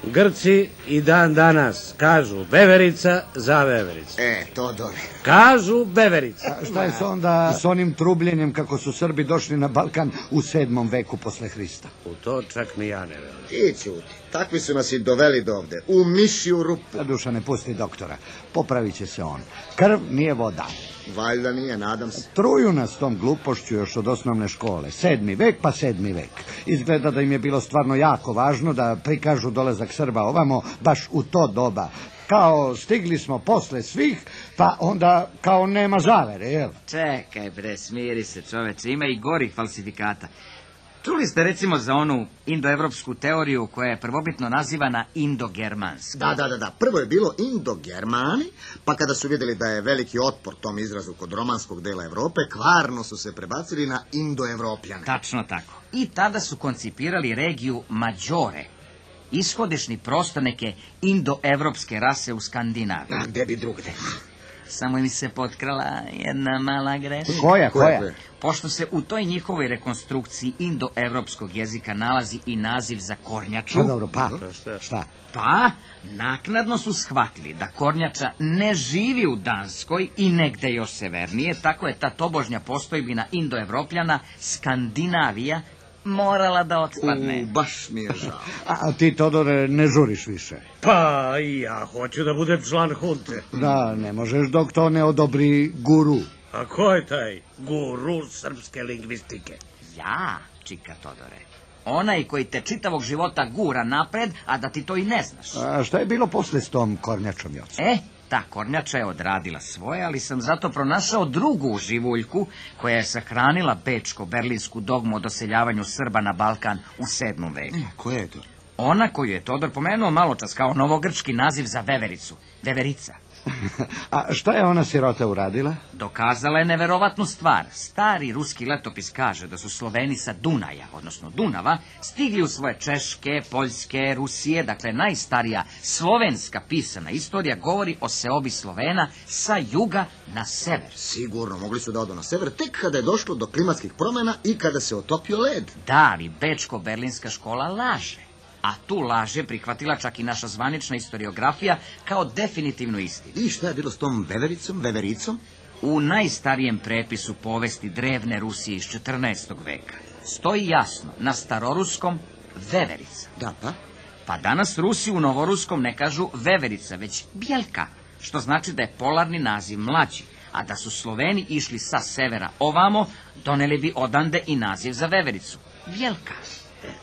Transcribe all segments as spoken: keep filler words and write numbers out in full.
Grci i dan danas kažu veverica za vevericu. E, Todore. Kažu veverica. A šta je s onda s onim trubljenjem kako su Srbi došli na Balkan u sedmom veku posle Hrista? U to čak ni ja ne verujem. Ti ćuti. Takvi su nas i doveli do ovde. U mišju rupu. A Duša, ne pusti doktora. Popravit će se on. Krv nije voda. Valjda nije, nadam se. Truju nas tom glupošću još od osnovne škole. Sedmi vek pa sedmi vek. Izgleda da im je bilo stvarno jako važno da prikažu dolazak Srba ovamo baš u to doba. Kao stigli smo posle svih, pa onda kao nema zavere, jel? Čekaj bre, smiri se čoveče, ima i gorih falsifikata. Čuli ste recimo za onu indoevropsku teoriju koja je prvobitno nazivana indogermanska? Da, da, da, da. Prvo je bilo indogermani, pa kada su vidjeli da je veliki otpor tom izrazu kod romanskog dela Evrope, kvarno su se prebacili na indoevropljane. Tačno tako. I tada su koncipirali regiju Mađore, ishodišni prostor neke indoevropske rase u Skandinaviji. A gde bi drugde? Samo mi se potkrala jedna mala greška. Koja, koja? Pošto se u toj njihovoj rekonstrukciji indoevropskog jezika nalazi i naziv za kornjaču... Pa dobro, pa, šta? Pa, naknadno su shvatili da kornjača ne živi u Danskoj i negde još severnije, tako je ta tobožnja postojbina indoevropljana, Skandinavija, morala da odspadne. U, baš mi je žao. A ti, Todore, ne žuriš više. Pa i ja hoću da budem član hunte. Da, ne možeš dok to ne odobri guru. A ko je taj guru srpske lingvistike? Ja, čika Todore. Onaj koji te čitavog života gura napred, a da ti to i ne znaš. A šta je bilo posle s tom kornjačom, Joco? E, ta kornjača je odradila svoje, ali sam zato pronašao drugu živuljku koja je sahranila bečko-berlinsku dogmu o doseljavanju Srba na Balkan u sedmom veku. Koja je to? Ona koju je Todor pomenuo maločas kao novogrčki naziv za vevericu. Veverica. A šta je ona sirota uradila? Dokazala je neverovatnu stvar. Stari ruski letopis kaže da su Sloveni sa Dunaja, odnosno Dunava, stigli u svoje Češke, Poljske, Rusije, dakle najstarija slovenska pisana istorija govori o seobi Slovena sa juga na sever. Sigurno, mogli su da odu na sever tek kada je došlo do klimatskih promjena i kada se otopio led. Da, ali bečko-berlinska škola laže. A tu laže prihvatila čak i naša zvanična historiografija kao definitivnu istinu. I šta je bilo s tom vevericom, vevericom? U najstarijem prepisu povesti drevne Rusije iz četrnaestog veka stoji jasno na staroruskom veverica. Da, pa? Pa danas Rusi u novoruskom ne kažu veverica, već bjelka, što znači da je polarni naziv mlađi, a da su Sloveni išli sa severa ovamo, doneli bi odande i naziv za vevericu. Bjelka.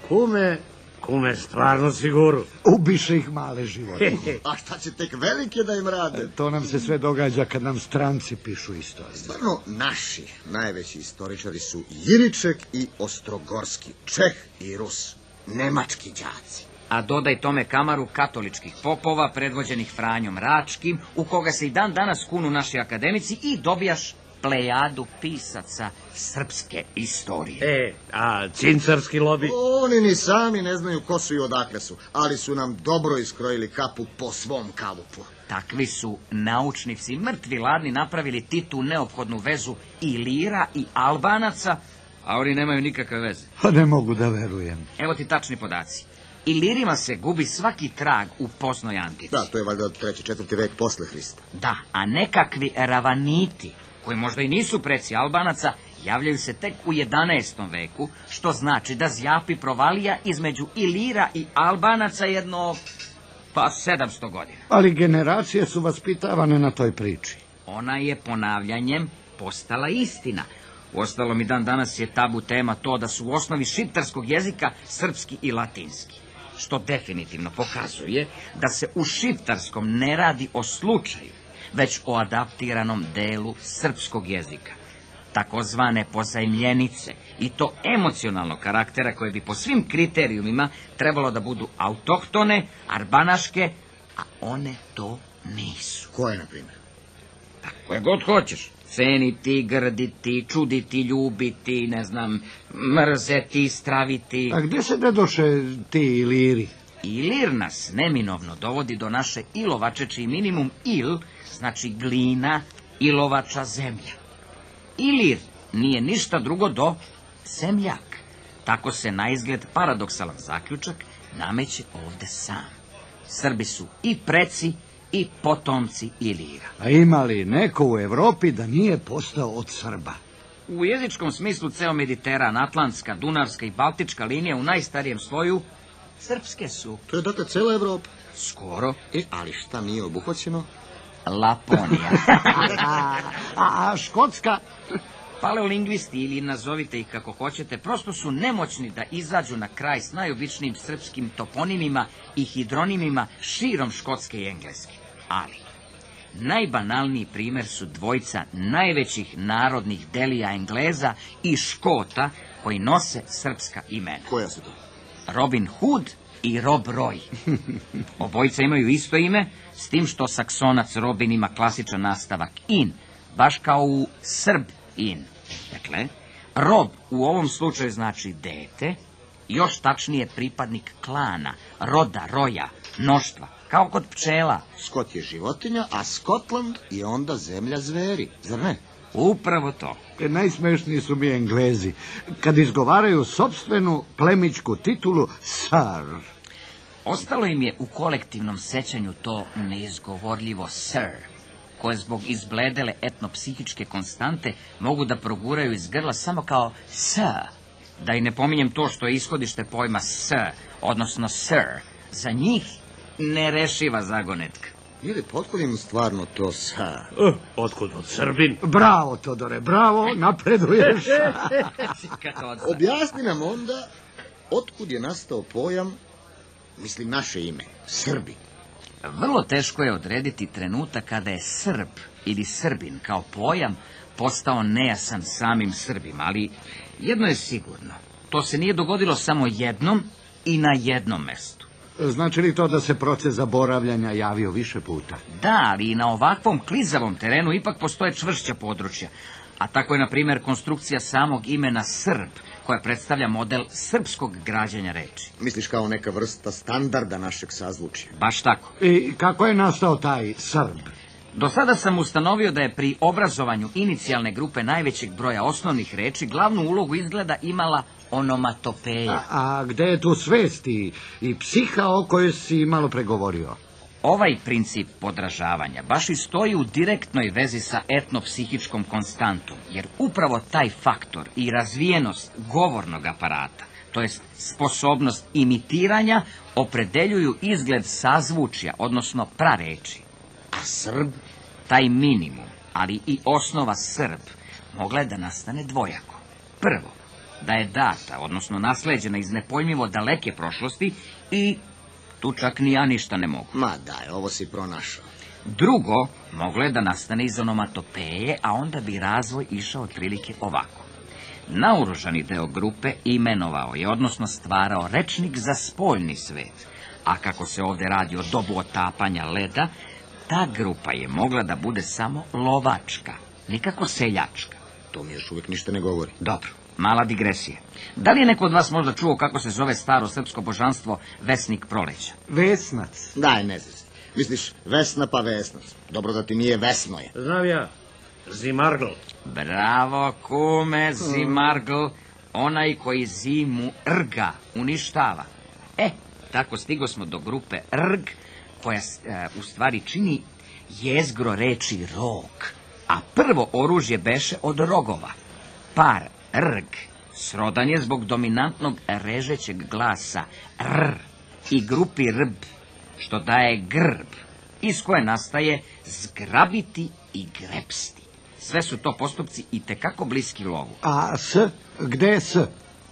Kume, kume, stvarno siguru. Ubiše ih male živote. A šta će tek velike da im rade? To nam se sve događa kad nam stranci pišu istoriju. Stvarno, naši najveći istoričari su Jiriček i Ostrogorski, Čeh i Rus, nemački đaci. A dodaj tome kamaru katoličkih popova, predvođenih Franjom Račkim, u koga se i dan danas kunu naši akademici i dobijaš plejadu pisaca srpske istorije. E, a cincarski lobi? Oni ni sami ne znaju ko su i odakle su, ali su nam dobro iskrojili kapu po svom kalupu. Takvi su naučnici mrtvi ladni napravili Titu neophodnu vezu Ilira i Albanaca, a oni nemaju nikakve veze. Pa ne mogu da verujem. Evo ti tačni podaci. Ilirima se gubi svaki trag u poznoj antici. Da, to je valjda treći, četvrti vek posle Hrista. Da, a nekakvi ravaniti, koji možda i nisu preci Albanaca, javljaju se tek u jedanaestom veku, što znači da zjapi provalija između Ilira i Albanaca jedno, pa sedamsto godina. Ali generacije su vaspitavane na toj priči. Ona je ponavljanjem postala istina. Uostalom i dan danas je tabu tema to da su u osnovi šiptarskog jezika srpski i latinski, što definitivno pokazuje da se u šiptarskom ne radi o slučaju, već o adaptiranom delu srpskog jezika, takozvane pozajmljenice, i to emocionalnog karaktera koje bi po svim kriterijumima trebalo da budu autohtone, arbanaške, a one to nisu. Koje, na primjer? Koje god hoćeš. Ceniti, grditi, čuditi, ljubiti, ne znam, mrzeti, straviti. A gdje se ne doše ti Iliri? Ilir nas neminovno dovodi do naše ilovače, čiji minimum il znači glina, ilovača, zemlja. Ilir nije ništa drugo do zemljak. Tako se na izgled paradoksalan zaključak nameće ovde sam. Srbi su i preci i potomci Ilira. A ima li neko u Evropi da nije postao od Srba? U jezičkom smislu ceo Mediteran, Atlantska, Dunavska i Baltička linija u najstarijem sloju srpske su. To je dakle cela Evropa. Skoro E, ali šta nije obuhvaćeno? Laponija. A, a, a Škotska? Paleolingvisti, ili nazovite ih kako hoćete, prosto su nemoćni da izađu na kraj s najobičnijim srpskim toponimima i hidronimima širom Škotske i Engleske. Ali najbanalniji primer su dvojica najvećih narodnih delija Engleza i Škota koji nose srpska imena. Koja su to? Robin Hood i Rob Roy. Obojica imaju isto ime, s tim što saksonac Robin ima klasičan nastavak in, baš kao u Srb in. Dakle, Rob u ovom slučaju znači dete, još tačnije pripadnik klana, roda, roja, mnoštva, kao kod pčela. Skot je životinja, a Skotland je onda zemlja zveri, zar ne? Upravo to. E, najsmešniji su mi Englezi, kad izgovaraju sopstvenu plemićku titulu Sir. Ostalo im je u kolektivnom sećanju to neizgovorljivo Sir, koje zbog izbledele etnopsihičke konstante mogu da proguraju iz grla samo kao S. Da i ne pominjem to što je ishodište pojma S, odnosno Sir, za njih nerešiva zagonetka. Ili potkud im stvarno to sa? Uh, otkud od Srbin? Bravo, Todore, bravo, napreduješ. Objasni nam onda otkud je nastao pojam, mislim naše ime, Srbi. Vrlo teško je odrediti trenutak kada je Srb ili Srbin kao pojam postao nejasan samim Srbima, ali jedno je sigurno, to se nije dogodilo samo jednom i na jednom mestu. Znači li to da se proces zaboravljanja javio više puta? Da, ali i na ovakvom klizavom terenu ipak postoje čvršća područja, a tako je, na primjer, konstrukcija samog imena Srb, koja predstavlja model srpskog građanja reči. Misliš kao neka vrsta standarda našeg sazvučja? Baš tako. I kako je nastao taj Srb? Do sada sam ustanovio da je pri obrazovanju inicijalne grupe najvećeg broja osnovnih reči glavnu ulogu izgleda imala onomatopeja. A, a gde je tu svest i, i psiha o kojoj si malo pregovorio? Ovaj princip podražavanja baš i stoji u direktnoj vezi sa etnopsihičkom konstantom, jer upravo taj faktor i razvijenost govornog aparata, to jest sposobnost imitiranja, opredeljuju izgled sazvučja, odnosno prareči. A Srb? Taj minimum, ali i osnova Srb, mogla je da nastane dvojako. Prvo, da je data, odnosno nasleđena iz nepojmljivo daleke prošlosti i tu čak ni ja ništa ne mogu. Ma daj, ovo si pronašao. Drugo, moglo je da nastane iz onomatopeje, a onda bi razvoj išao otprilike ovako. Naoružani deo grupe imenovao je, odnosno stvarao rečnik za spoljni svet, a kako se ovde radi o dobu otapanja leda, ta grupa je mogla da bude samo lovačka, nikako seljačka. To mi još uvijek ništa ne govori. Dobro, mala digresija. Da li je neko od vas možda čuo kako se zove staro srpsko božanstvo Vesnik proleća? Vesnac. Daj, ne znaš. Misliš Vesna pa Vesnac. Dobro da ti nije Vesno je. Znam ja, Zimargl. Bravo, kume, Zimargl, onaj koji zimu rga, uništava. E, tako stigo smo do grupe rg, koja e, u stvari čini jezgro reči rog, a prvo oružje beše od rogova. Par rg srodan je zbog dominantnog režećeg glasa r i grupi rb, što daje grb, iz koje nastaje zgrabiti i grepsti. Sve su to postupci i tekako bliski lovu. A s? Gde je s?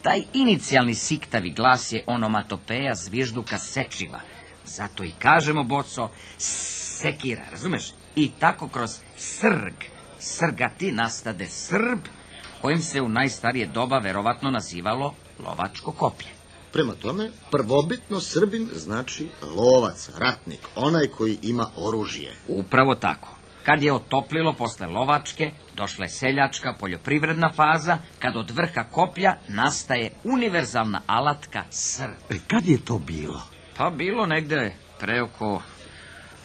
Taj inicijalni siktavi glas je onomatopeja zvižduka sečiva. Zato i kažemo, boco, sekira, razumeš? I tako kroz srg, srgati nastade Srb, kojim se u najstarije doba verovatno nazivalo lovačko koplje. Prema tome, prvobitno Srbin znači lovac, ratnik, onaj koji ima oružje. Upravo tako. Kad je otoplilo posle lovačke, došla je seljačka poljoprivredna faza, kad od vrha koplja nastaje univerzalna alatka Srb. E, kad je to bilo? Pa bilo negde pre oko,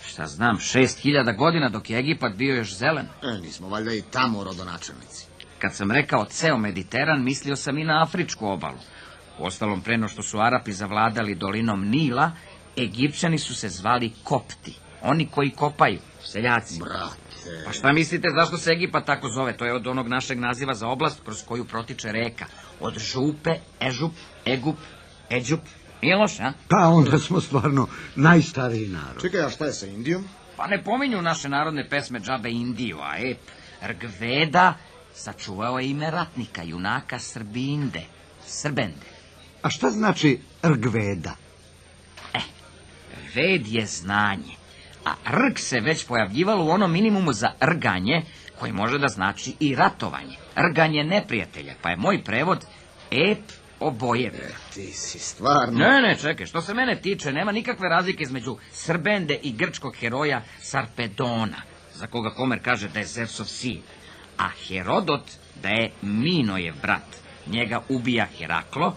šta znam, šest hiljada godina dok je Egipat bio još zelen. E, nismo valjda i tamo rodonačelnici. Kad sam rekao ceo Mediteran, mislio sam i na afričku obalu. Uostalom, pre no što su Arapi zavladali dolinom Nila, Egipćani su se zvali Kopti, oni koji kopaju, seljaci. Brate. Pa šta mislite zašto se Egipat tako zove? To je od onog našeg naziva za oblast kroz koju protiče reka. Od župe, ežup, egup, eđup. Nije loš, a? Pa onda smo stvarno najstariji narod. Čekaj, a šta je sa Indijom? Pa ne pominju naše narodne pesme džabe Indiju, a ep, Rgveda sačuvao je ime ratnika, junaka Srbinde, Srbende. A šta znači Rgveda? Ved je znanje, a rg se već pojavljivalo u onom minimumu za rganje, koji može da znači i ratovanje, rganje neprijatelja, pa je moj prevod ep obojevlja. Ti si stvarno... Ne, ne, čekaj, što se mene tiče, nema nikakve razlike između Srbende i grčkog heroja Sarpedona, za koga Homer kaže da je Zevsov sin, a Herodot da je Minojev brat. Njega ubija Heraklo,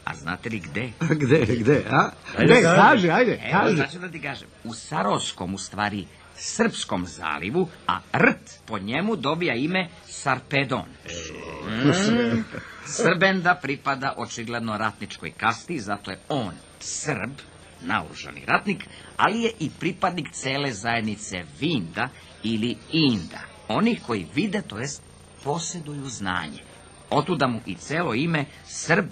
a znate li gde? Gde, gde, a? Ajde, Gde, kaži. kaži, ajde, Evo, kaži. znači da ti kažem, u Saroskom, u stvari, Srpskom zalivu, a rt po njemu dobija ime Sarpedon. Mm. Srbenda pripada očigledno ratničkoj kasti, zato je on Srb, naoružani ratnik, ali je i pripadnik cele zajednice Vinda ili Inda, onih koji vide, to jest posjeduju znanje. Otuda mu i celo ime Srb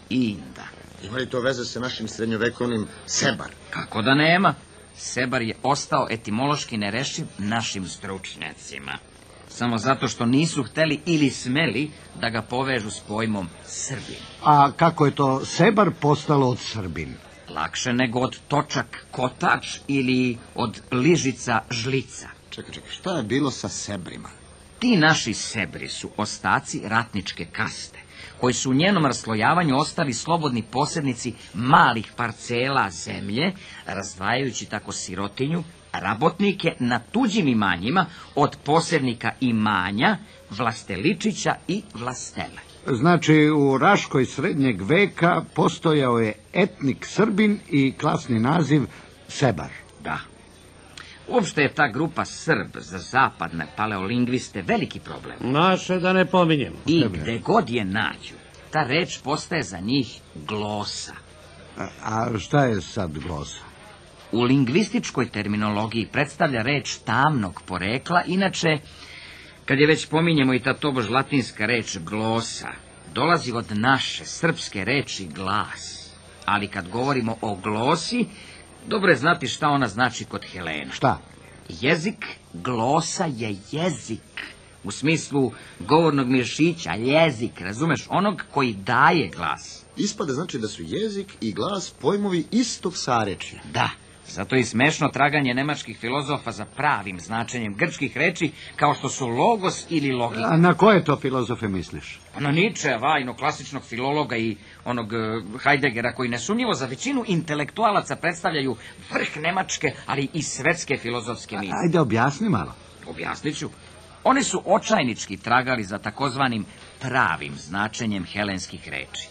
Inda. Ima li to veze sa našim srednjovekovnim Sebar? Kako da nema? Sebar je ostao etimološki nerešiv našim stručnjacima. Samo zato što nisu hteli ili smeli da ga povežu s pojmom Srbin. A kako je to Sebar postalo od Srbin? Lakše nego od točak kotač ili od ližica žlica. Čekaj, čekaj, šta je bilo sa Sebrima? Ti naši Sebri su ostaci ratničke kaste, koji su u njenom raslojavanju ostali slobodni posjednici malih parcela zemlje, razdvajajući tako sirotinju, rabotnike na tuđim imanjima od posjednika imanja, vlasteličića i vlastele. Znači, u Raškoj srednjeg veka postojao je etnik Srbin i klasni naziv Sebar. Da. Uopšte je ta grupa Srb za zapadne paleolingviste veliki problem. Naše da ne pominjem. I gde god je nađu, ta reč postaje za njih glosa. A, a šta je sad glosa? U lingvističkoj terminologiji predstavlja reč tamnog porekla, inače, kad je već pominjemo i ta tobož latinska reč glosa, dolazi od naše srpske reči glas. Ali kad govorimo o glosi, dobro je znati šta ona znači kod Helena. Šta? Jezik, glosa je jezik. U smislu govornog mišića, jezik, razumeš, onog koji daje glas. Ispada znači da su jezik i glas pojmovi istog sarečja. Da, zato je i smešno traganje nemačkih filozofa za pravim značenjem grčkih reči, kao što su logos ili logika. A na koje to filozofe misliš? Pa na Ničeva, ino klasičnog filologa i onog uh, Heideggera, koji nesumnjivo za većinu intelektualaca predstavljaju vrh nemačke, ali i svetske filozofske misli. Ajde, objasni malo. Objasnit ću. Oni su očajnički tragali za takozvanim pravim značenjem helenskih reči.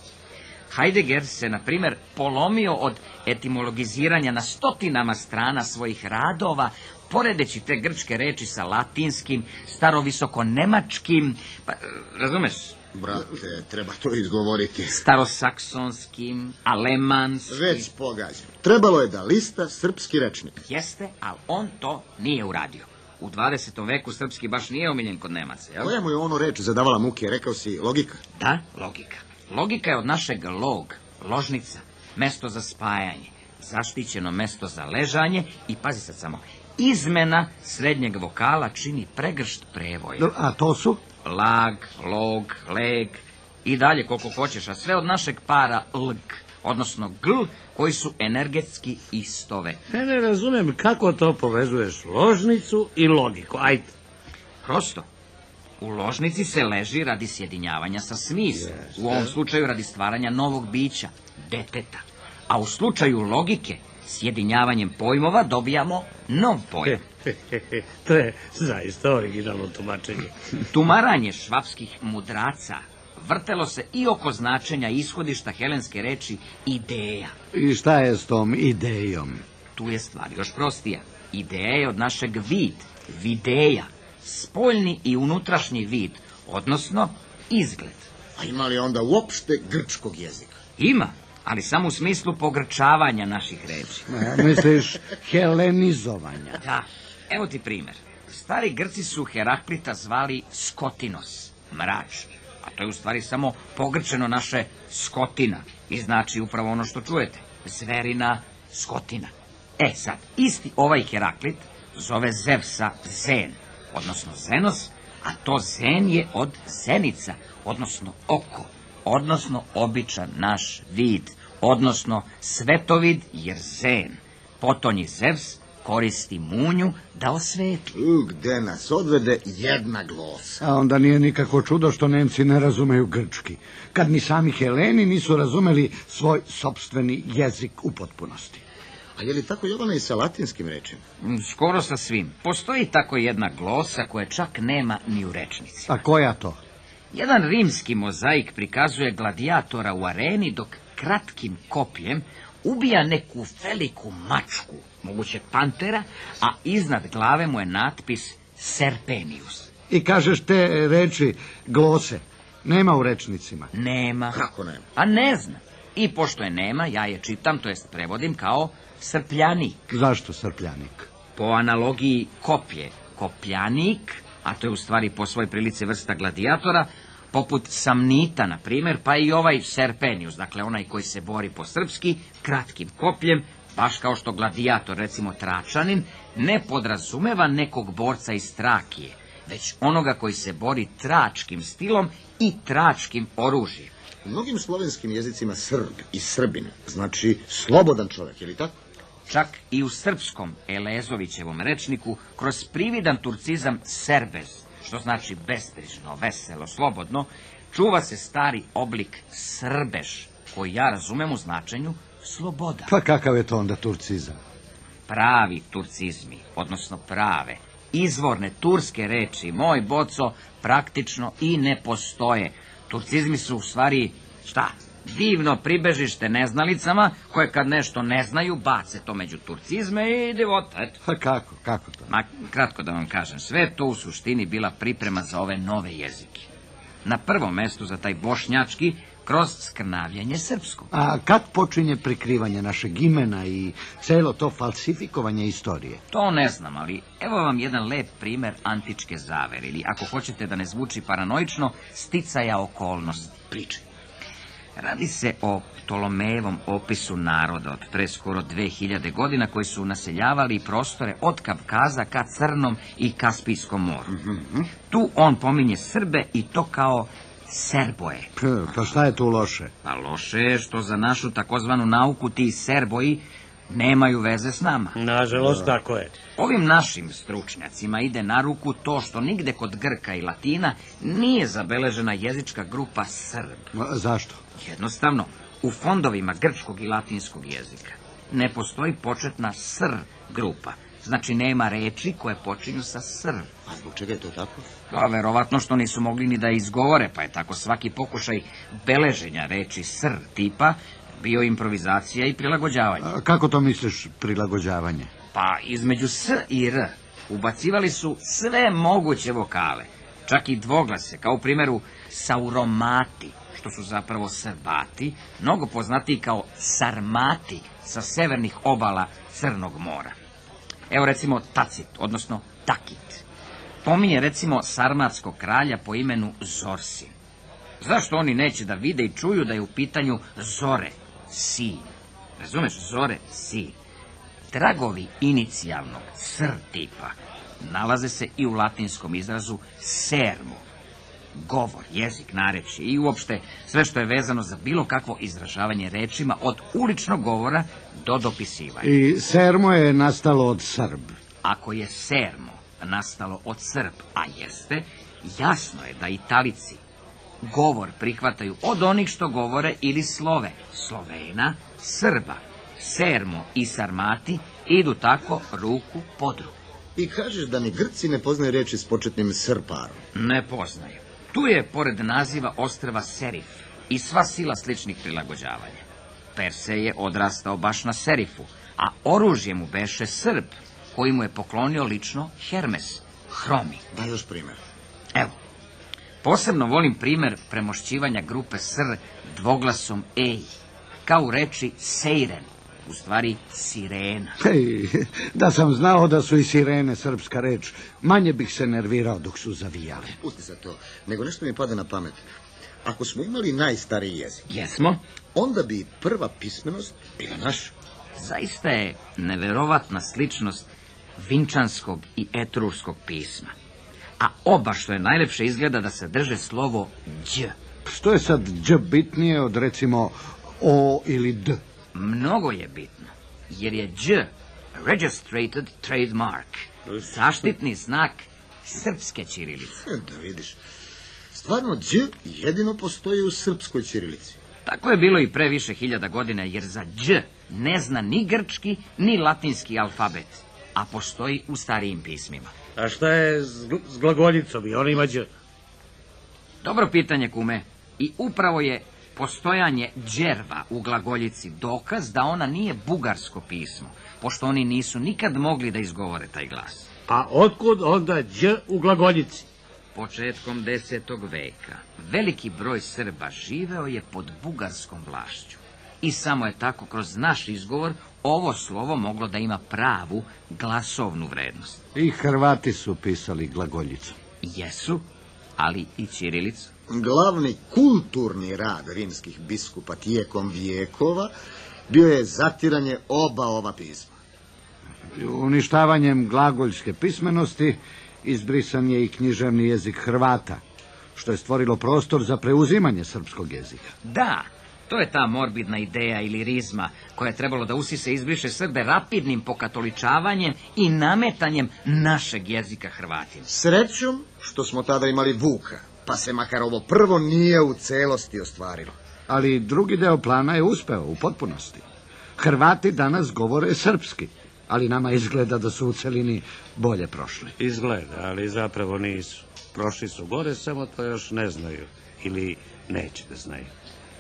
Heidegger se, na primjer, polomio od etimologiziranja na stotinama strana svojih radova, poredeći te grčke reči sa latinskim, starovisoko-nemačkim, pa, razumeš? Brate, treba to izgovoriti. Starosaksonskim, alemanskim. Već pogađam. Trebalo je da lista srpski rečnik. Jeste, ali on to nije uradio. U dvadesetom veku srpski baš nije omiljen kod Nemaca, jel? Koja mu je ono reč zadavala muke, rekao si logika? Da, logika. Logika je od našeg log, ložnica, mesto za spajanje, zaštićeno mesto za ležanje i, pazi sad samo, izmena srednjeg vokala čini pregršt prevoja. A to su? Lag, log, leg i dalje koliko hoćeš, a sve od našeg para lg, odnosno gl, koji su energetski istove. Ja ne razumem kako to povezuješ ložnicu i logiku. Ajde. Prosto. U ložnici se leži radi sjedinjavanja sa smislom, u ovom slučaju radi stvaranja novog bića, deteta. A u slučaju logike, sjedinjavanjem pojmova dobijamo nov pojam. To je zaista originalno tumačenje. Tumaranje švapskih mudraca vrtelo se i oko značenja ishodišta helenske reči ideja. I šta je s tom idejom? Tu je stvar još prostija. Ideja je od našeg vid, videja, spoljni i unutrašnji vid, odnosno izgled. A ima li onda uopšte grčkog jezika? Ima, ali samo u smislu pogrčavanja naših reči. A, misliš helenizovanja? Da, evo ti primer. Stari Grci su Heraklita zvali Skotinos, mrač, a to je u stvari samo pogrčeno naše skotina i znači upravo ono što čujete, zverina skotina. E sad, isti ovaj Heraklit zove Zevsa Zen, odnosno Zenos, a to Zen je od zenica, odnosno oko, odnosno običan naš vid, odnosno svetovid, jer Zen, potonji Zevs, koristi munju da osvetli. U, gde nas odvede jedna glosa. A onda nije nikako čudo što Nemci ne razumeju grčki, kad ni sami Heleni nisu razumeli svoj sopstveni jezik u potpunosti. A je li tako, Jovana, i sa latinskim rečima? Skoro sa svim. Postoji tako jedna glosa koja čak nema ni u rečnici. A koja to? Jedan rimski mozaik prikazuje gladijatora u areni dok kratkim kopljem ubija neku veliku mačku, moguće pantera, a iznad glave mu je natpis Serpenius. I kažeš te reči glose, nema u rečnicima. Nema. Kako nema? A ne znam. I pošto je nema, ja je čitam, to jest prevodim kao srpljanik. Zašto srpljanik? Po analogiji koplje, kopljanik, a to je u stvari po svoj prilici vrsta gladijatora, poput Samnita, na primjer, pa i ovaj Serpenius, dakle onaj koji se bori po srpski, kratkim kopljem, baš kao što gladijator, recimo Tračanin, ne podrazumeva nekog borca iz Trakije, već onoga koji se bori tračkim stilom i tračkim oružjem. U mnogim slovenskim jezicima Srb i Srbin znači slobodan čovjek, je li tako? Čak i u srpskom Elezovićevom rečniku kroz prividan turcizam serbez, što znači besprižno, veselo, slobodno, čuva se stari oblik srbeš, koji ja razumem u značenju sloboda. Pa kakav je to onda turcizam? Pravi turcizmi, odnosno prave, izvorne turske reči, moj boco, praktično i ne postoje. Turcizmi su u stvari, šta, divno pribežište neznalicama, koje kad nešto ne znaju, bace to među turcizme i divota, eto. Pa kako, kako to? Ma, kratko da vam kažem, sve to u suštini bila priprema za ove nove jezike. Na prvom mestu za taj bošnjački, kroz skrnavljanje srpskog. A kad počinje prikrivanje našeg imena i celo to falsifikovanje istorije? To ne znam, ali evo vam jedan lep primer antičke zavere, ili ako hoćete da ne zvuči paranoično, sticaja okolnosti. Pričaj. Radi se o Ptolomejevom opisu naroda od pre skoro dve hiljade godina koji su naseljavali prostore od Kavkaza ka Crnom i Kaspijskom moru. Mm-hmm. Tu on pominje Srbe i to kao Serboje. P, pa šta je tu loše? Pa loše je što za našu takozvanu nauku ti Serboji nemaju veze s nama. Nažalost, tako je. Ovim našim stručnjacima ide na ruku to što nigde kod Grka i Latina nije zabeležena jezička grupa Srb. A, zašto? Jednostavno, u fondovima grčkog i latinskog jezika ne postoji početna sr grupa. Znači nema reči koje počinju sa sr. A zbog čega je to tako? Pa verovatno što nisu mogli ni da izgovore, pa je tako svaki pokušaj beleženja reči sr tipa bio improvizacija i prilagođavanje. A, kako to misliš prilagođavanje? Pa između s i r ubacivali su sve moguće vokale, čak i dvoglase, kao u primjeru sauromati, što su zapravo Srbati, mnogo poznatiji kao Sarmati sa severnih obala Crnog mora. Evo recimo Tacit, odnosno Takit. Pominje recimo sarmatskog kralja po imenu Zorsin. Zašto oni neće da vide i čuju da je u pitanju Zore, sin? Razumeš, Zore, sin. Tragovi inicijalnog sr tipa nalaze se i u latinskom izrazu sermo. Govor, jezik, narečje i uopšte sve što je vezano za bilo kakvo izražavanje rečima od uličnog govora do dopisivanja. I sermo je nastalo od Srb. Ako je sermo nastalo od Srb, a jeste, jasno je da Italici govor prihvataju od onih što govore ili slove Slovena, Srba. Sermo i Sarmati idu tako ruku pod ruku. I kažeš da ni Grci ne poznaju reči s početnim srparom? Ne poznaju. Tu je, pored naziva ostrva Serif, i sva sila sličnih prilagođavanja. Perse je odrastao baš na Serifu, a oružje mu beše Srb, koji mu je poklonio lično Hermes, Hromi. Da još primjer. Evo, posebno volim primer premošćivanja grupe sr dvoglasom ej. kao u reči sejren, u stvari sirena. Hej, da sam znao da su i sirene srpska reč, manje bih se nervirao dok su zavijale. Pusti se to, nego nešto mi pada na pamet. Ako smo imali najstariji jezik, Jesmo? onda bi prva pismenost bila naša. Zaista je neverovatna sličnost vinčanskog i etruškog pisma. A oba, što je najlepše, izgleda da se drže slovo đ. Što je sad đ bitnije od recimo o ili d? Mnogo je bitno, jer je đ registrated trademark, zaštitni znak srpske ćirilice. Da vidiš, stvarno đ jedino postoji u srpskoj ćirilici. Tako je bilo i pre više hiljada godina, jer za đ ne zna ni grčki, ni latinski alfabet, a postoji u starijim pismima. A šta je s, gl- s glagoljicom i on ima đ? Dobro pitanje, kume. I upravo je postojanje đerva u glagoljici dokaz da ona nije bugarsko pismo, pošto oni nisu nikad mogli da izgovore taj glas. A otkud onda đ u glagoljici? Početkom desetog veka veliki broj Srba živeo je pod bugarskom vlašću. I samo je tako kroz naš izgovor ovo slovo moglo da ima pravu glasovnu vrednost. I Hrvati su pisali glagoljicu. Jesu, ali i ćirilicu. Glavni kulturni rad rimskih biskupa tijekom vijekova bio je zatiranje oba ova pisma. Uništavanjem glagoljske pismenosti izbrisan je i književni jezik Hrvata, što je stvorilo prostor za preuzimanje srpskog jezika. Da, to je ta morbidna ideja ili rizma koja je trebalo da usise izbriše Srbe rapidnim pokatoličavanjem i nametanjem našeg jezika Hrvatima. Srećom što smo tada imali Vuka, pa se makar ovo prvo nije u celosti ostvarilo. Ali drugi deo plana je uspeo u potpunosti. Hrvati danas govore srpski, ali nama izgleda da su u celini bolje prošli. Izgleda, ali zapravo nisu. Prošli su gore, samo to još ne znaju. Ili neće da znaju.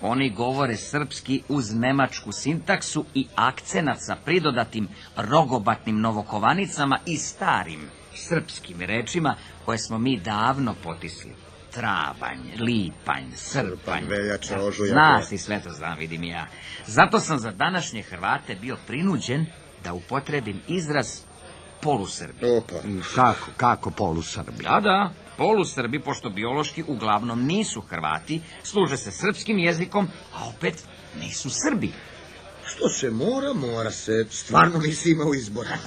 Oni govore srpski uz nemačku sintaksu i akcenat sa pridodatim rogobatnim novokovanicama i starim srpskim rečima koje smo mi davno potisli. Travanj, lipanj, srpanj. Veljača, ožujak. Zna si, sve to znam, vidim i ja. Zato sam za današnje Hrvate bio prinuđen da upotrebim izraz polusrbi. Opa. Kako, kako polusrbi? Da, da, polusrbi, pošto biološki uglavnom nisu Hrvati, služe se srpskim jezikom, a opet nisu Srbi. Što se mora, mora se. Stvarno nisi imao izbora.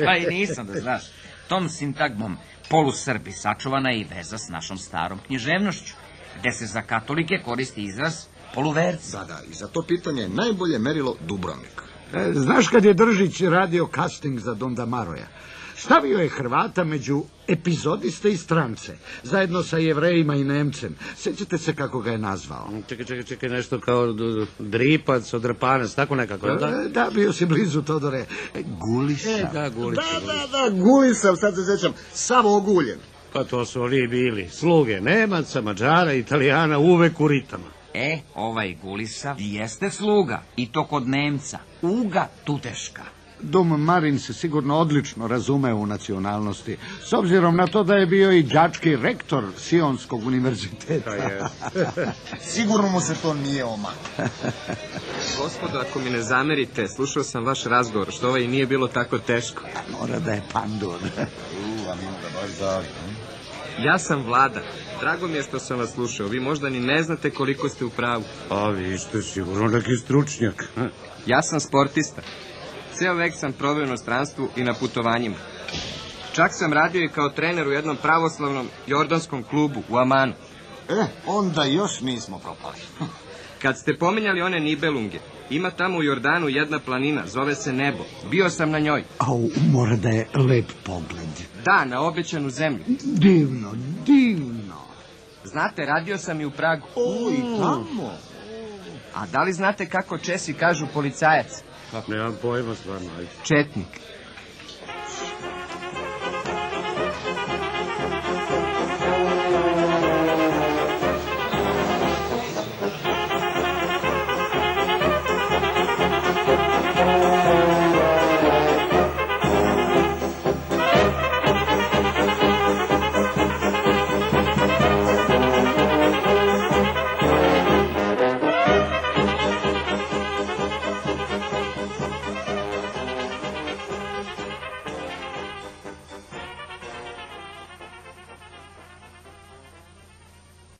Pa i nisam, da znaš. Tom sintagmom polusrbi sačuvana je i veza s našom starom književnošću, gde se za katolike koristi izraz poluverci. Da, da, i za to pitanje je najbolje merilo Dubrovnik. E, znaš kad je Držić radio casting za Donda Maroja? Stavio je Hrvata među epizodiste i strance, zajedno sa Jevrejima i Nemcem. Sjećate se kako ga je nazvao? Čekaj, čekaj, čekaj, nešto kao d- dripac, odrpanac, tako nekako, je li da? E, da, bio si blizu, Todore. E, Gulisa. E, da, gulica, Da, gulica. da, da, gulisam, sad se sjećam, samo oguljen. Pa to su oni bili, sluge Nemaca, Mađara, Italijana, uvek u ritama. E, ovaj Gulisa jeste sluga, i to kod Nemca, Uga Tuteška. Dom Marin se sigurno odlično razume u nacionalnosti, s obzirom na to da je bio i đački rektor Sionskog univerziteta. Sigurno mu se to nije omaklo. Gospodo, ako mi ne zamerite, slušao sam vaš razgovor, što ovaj nije bilo tako teško. Mora da je pandur. U, a mimo da baš zavi. Ja sam Vlada. Drago mi je što sam vas slušao. Vi možda ni ne znate koliko ste u pravu. A vi ste sigurno neki stručnjak. Ja sam sportista. Ceo vek sam proveo u inostranstvu i na putovanjima. Čak sam radio i kao trener u jednom pravoslavnom jordanskom klubu u Amanu. E, onda još nismo propali. Kad ste pominjali one Nibelunge, ima tamo u Jordanu jedna planina, zove se Nebo. Bio sam na njoj. Au, mora da je lep pogled. Da, na obećanu zemlju. Divno, divno. Znate, radio sam i u Pragu. O, i tamo. A da li znate kako Česi kažu policajac? Nemam pojma stvarno, ajde. Četnik.